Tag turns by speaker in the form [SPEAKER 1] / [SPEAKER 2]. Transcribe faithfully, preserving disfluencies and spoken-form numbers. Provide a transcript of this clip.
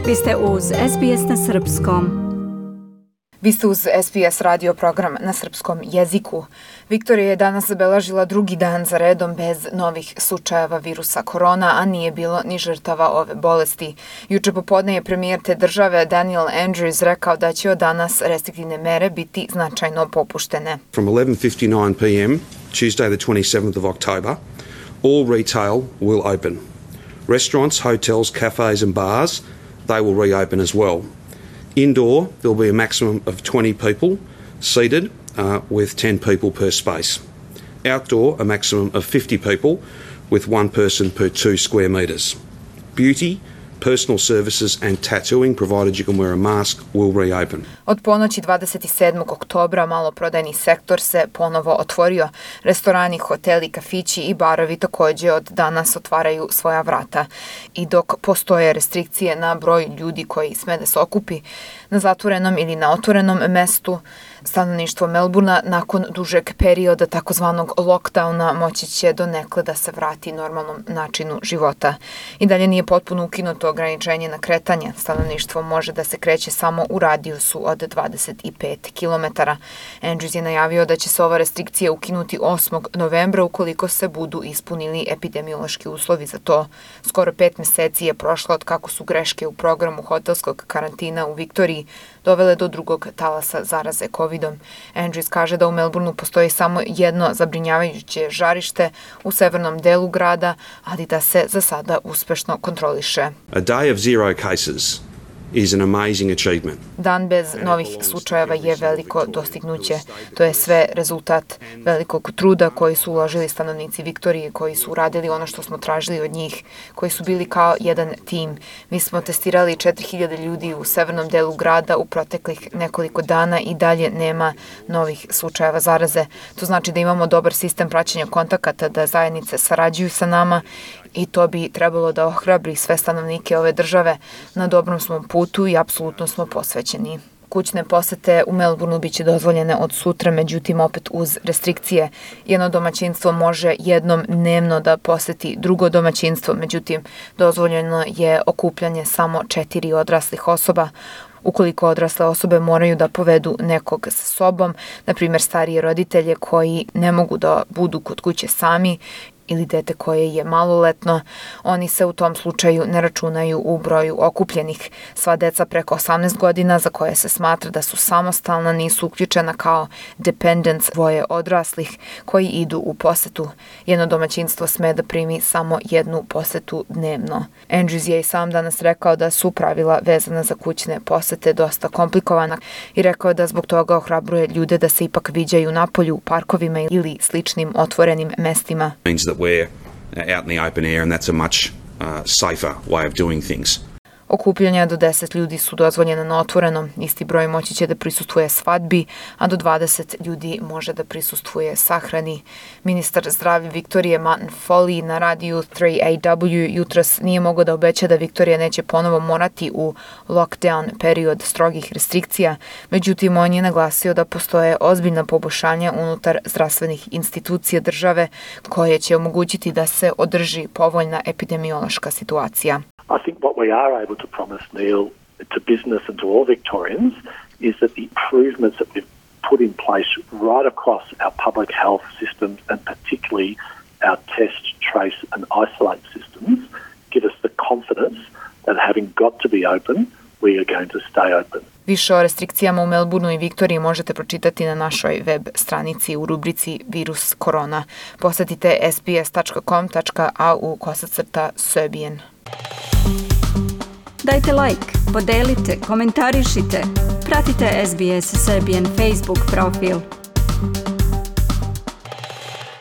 [SPEAKER 1] Vi ste uz S B S na srpskom.
[SPEAKER 2] Vi ste uz S B S radio program na srpskom jeziku. Viktorija je danas zabeležila drugi dan za redom bez novih slučajeva virusa korona, a nije bilo ni žrtava ove bolesti. Juče popodne je premijer te države Daniel Andrews rekao da će od danas restriktivne mere biti značajno popuštene.
[SPEAKER 3] From eleven fifty-nine p m Tuesday the twenty-seventh of October, all retail will open. Restaurants, hotels, cafes and bars, they will reopen as well. Indoor, there will be a maximum of twenty people seated uh, with ten people per space. Outdoor, a maximum of fifty people with one person per two square metres. Beauty, personal services and tattooing, provided you can wear a mask, will reopen.
[SPEAKER 2] Od ponoći dvadeset sedmog oktobra maloprodajni sektor se ponovo otvorio. Restorani, hoteli, kafići i barovi također od danas otvaraju svoja vrata. I dok postoje restrikcije na broj ljudi koji sme da se okupi na zatvorenom ili na otvorenom mestu, stanovništvo Melbourna nakon dužeg perioda takozvanog lockdowna moći će donekle da se vrati normalnom načinu života. I dalje nije potpuno ukinuto ograničenje na kretanje. Stanovništvo može da se kreće samo u radijusu od dvadeset pet kilometara. Andrews je najavio da će se ova restrikcija ukinuti osmog novembra ukoliko se budu ispunili epidemiološki uslovi za to. Skoro pet meseci je prošlo od kako su greške u programu hotelskog karantina u Viktoriji dovele do drugog talasa zaraze covidom. Andrews kaže da u Melbourneu postoji samo jedno zabrinjavajuće žarište u severnom delu grada, ali da se za sada uspešno kontroliše.
[SPEAKER 3] A day of zero cases is an amazing achievement.
[SPEAKER 2] Dan bez novih slučajeva je veliko dostignuće. To je sve rezultat velikog truda koji su uložili stanovnici Viktorije, koji su uradili ono što smo tražili od njih, koji su bili kao jedan tim. Mi smo testirali četiri hiljade ljudi u severnom delu grada u proteklih nekoliko dana i dalje nema novih slučajeva zaraze. To znači da imamo dobar sistem praćenja kontakata, da zajednice sarađuju sa nama i to bi trebalo da ohrabri sve stanovnike ove države. Na dobrom smo putu i apsolutno smo posvećeni. Kućne posete u Melbourneu biće dozvoljene od sutra, međutim opet uz restrikcije. Jedno domaćinstvo može jednom dnevno da poseti drugo domaćinstvo, međutim dozvoljeno je okupljanje samo četiri odraslih osoba. Ukoliko odrasle osobe moraju da povedu nekog sa sobom, na primjer starije roditelje koji ne mogu da budu kod kuće sami, ili dete koje je maloletno, oni se u tom slučaju ne računaju u broju okupljenih. Sva deca preko osamnaest godina za koje se smatra da su samostalna nisu uključena kao dependents, dvoje odraslih koji idu u posetu. Jedno domaćinstvo sme da primi samo jednu posetu dnevno. Andrews je i sam danas rekao da su pravila vezana za kućne posete dosta komplikovana i rekao da zbog toga ohrabruje ljude da se ipak viđaju napolju u parkovima ili sličnim otvorenim mestima.
[SPEAKER 3] We're out in the open air and that's a much uh, safer way of doing things.
[SPEAKER 2] Okupljanja do deset ljudi su dozvoljena na otvorenom. Isti broj moći će da prisustvuje svadbi, a do dvadeset ljudi može da prisustvuje sahrani. Ministar zdravlja Viktorije Martin Foley na radiju tri A W jutros nije mogao da obeća da Viktorija neće ponovo morati u lockdown period strogih restrikcija. Međutim, on je naglasio da postoje ozbiljna poboljšanja unutar zdravstvenih institucija države koje će omogućiti da se održi povoljna epidemiološka situacija.
[SPEAKER 4] I think what we are able to promise, Neil, to business and to all Victorians is that the improvements that we've put in place right across our public health systems and particularly our test, trace and isolate systems give us the confidence that having got to be open, we are going to stay open.
[SPEAKER 2] Više o restrikcijama u Melbourneu i Viktoriji možete pročitati na našoj web stranici u rubrici Virus korona. Posetite s b s dot com dot a u kosacrta Serbian.
[SPEAKER 1] Dajte like, podelite, komentarišite. Pratite S B S Serbian Facebook profil.